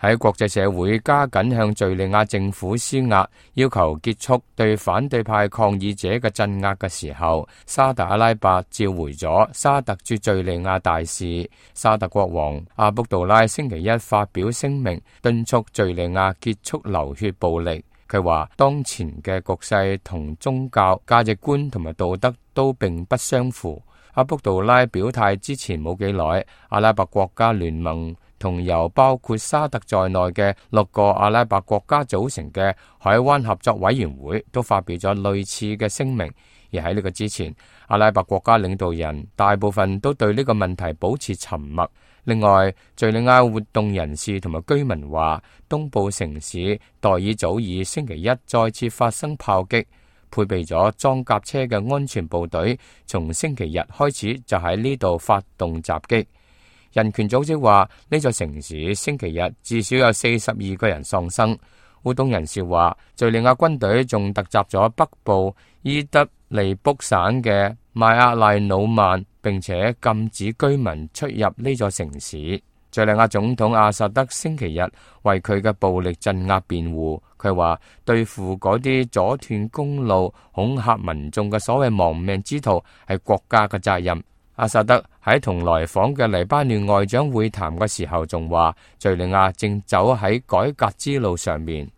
喺國際社會加緊向敘利亞政府施壓，要求結束對反對派抗議者嘅鎮壓嘅時候，沙特阿拉伯召回咗沙特駐敘利亞大使。沙特國王阿卜杜拉星期一發表聲明，敦促敘利亞結束流血暴力。佢話當前嘅局勢同宗教價值觀同埋道德都並不相符。阿卜杜拉表態之前冇幾耐，阿拉伯國家聯盟同由包括沙特在內嘅6個阿拉伯國家組成嘅海灣合作委員會都發表咗類似嘅聲明。而喺呢個之前，阿拉伯國家領導人大部分都對呢個問題保持沉默。另外，敘利亞活動人士同埋居民話，東部城市代爾祖爾星期一再次發生炮擊，配備咗裝甲車嘅安全部隊從星期日開始就喺呢度發動襲擊。人權組織話，呢座城市星期日至少有42個人喪生。活動人士話，敘利亞軍隊仲突襲咗北部伊德利卜省嘅邁阿賴努曼，並且禁止居民出入呢座城市。敘利亞總統阿薩德星期日為佢嘅暴力鎮壓辯護，佢話對付嗰啲阻斷公路、恐嚇民眾嘅所謂亡命之徒係國家嘅責任。阿薩德喺同來訪嘅黎巴嫩外長會談嘅時候仲話，敘利亞正走喺改革之路上面。